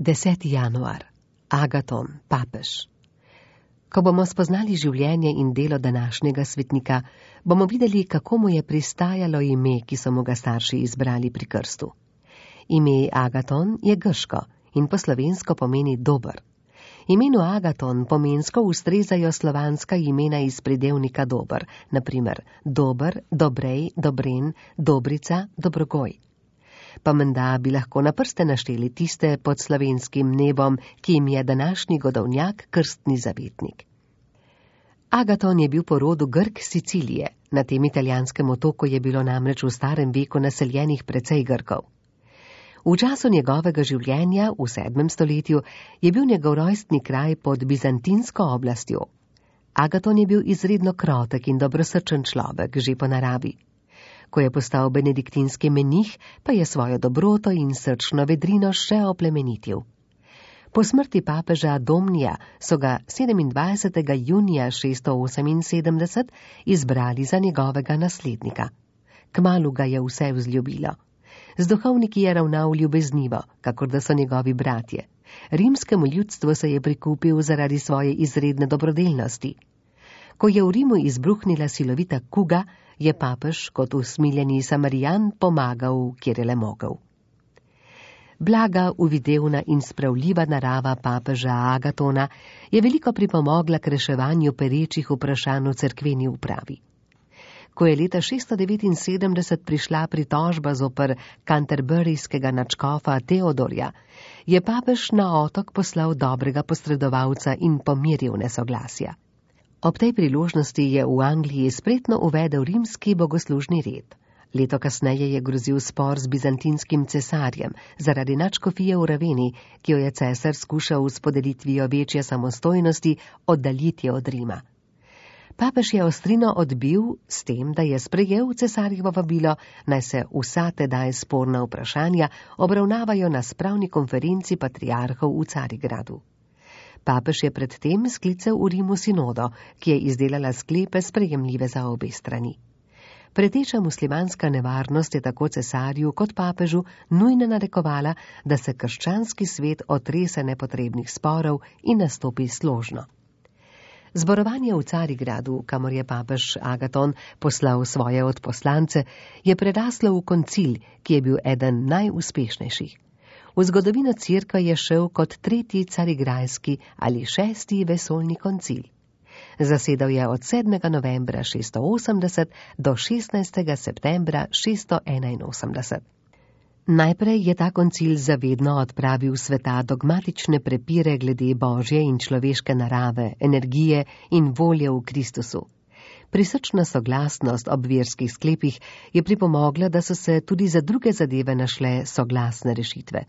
10. januar. Agaton, papež. Ko bomo spoznali življenje in delo današnjega svetnika, bomo videli, kako mu je pristajalo ime, ki so mu ga starši izbrali pri krstu. Ime Agaton je grško in po slovensko pomeni dober. Imenu Agaton pomensko ustrezajo slovanska imena iz pridevnika dober, naprimer dober, dobrej, dobren, dobrica, dobrogoj. Pa menda bi lahko na prste našteli tiste pod slovenskim nebom, ki jim je današnji godovnjak krstni zavetnik. Agaton je bil po rodu Grk Sicilije, na tem italijanskem otoku je bilo namreč v starem veku naseljenih precej Grkov. V času njegovega življenja, v 7. stoletju, je bil njegov rojstni kraj pod bizantinsko oblastjo. Agaton je bil izredno krotek in dobrosrčen človek, že po naravi. Ko je postal benediktinski menih, pa je svojo dobroto in srčno vedrino še oplemenitil. Po smrti papeža Domnija so ga 27. junija 678 izbrali za njegovega naslednika. Kmalu ga je vse vzljubilo. Z duhovniki je ravnal ljubeznivo, kakor da so njegovi bratje. Rimskemu ljudstvu se je prikupil zaradi svoje izredne dobrodelnosti. Ko je v Rimu izbruhnila silovita kuga, je papež kot usmiljeni Samarijan pomagal, kjer je le mogel. Blaga, uvidevna in spravljiva narava papeža Agatona je veliko pripomogla k reševanju perečih vprašanj v cerkveni upravi. Ko je leta 679 prišla pritožba zoper kanterburyskega nadškofa Teodorja, je papež na otok poslal dobrega posredovalca in pomiril nesoglasja. Ob tej priložnosti je v Angliji spretno uvedel rimski bogoslužni red. Leto kasneje je grozil spor z bizantinskim cesarjem zaradi nadškofije v Raveni, ki jo je cesar skušal s podelitvijo večje samostojnosti oddaljiti od Rima. Papež je ostrino odbil s tem, da je sprejel cesarjevo vabilo, naj se vsa tedaj sporna vprašanja obravnavajo na spravni konferenci patriarhov v Carigradu. Papež je predtem sklical v Rimu sinodo, ki je izdelala sklepe sprejemljive za obe strani. Preteča muslimanska nevarnost je tako cesarju kot papežu nujno narekovala, da se krščanski svet otrese nepotrebnih sporov in nastopi složno. Zborovanje v Carigradu, kamor je papež Agaton poslal svoje odposlance, je preraslo v koncil, ki je bil eden najuspešnejših. V zgodovino cerkve je šel kot 3. carigrajski ali 6. vesoljni koncil. Zasedal je od 7. novembra 680 do 16. septembra 681. Najprej je ta koncil zavedno odpravil sveta dogmatične prepire glede božje in človeške narave, energije in volje v Kristusu. Prisrčna soglasnost ob verskih sklepih je pripomogla, da so se tudi za druge zadeve našle soglasne rešitve.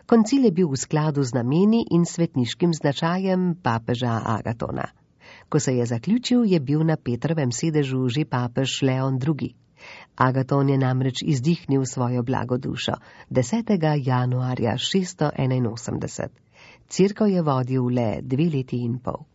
Koncil je bil v skladu z nameni in svetniškim značajem papeža Agatona. Ko se je zaključil, je bil na Petrovem sedežu že papež Leon II. Agaton je namreč izdihnil svojo blagodušo 10. januarja 681. Cerkev je vodil le 2 leti in pol.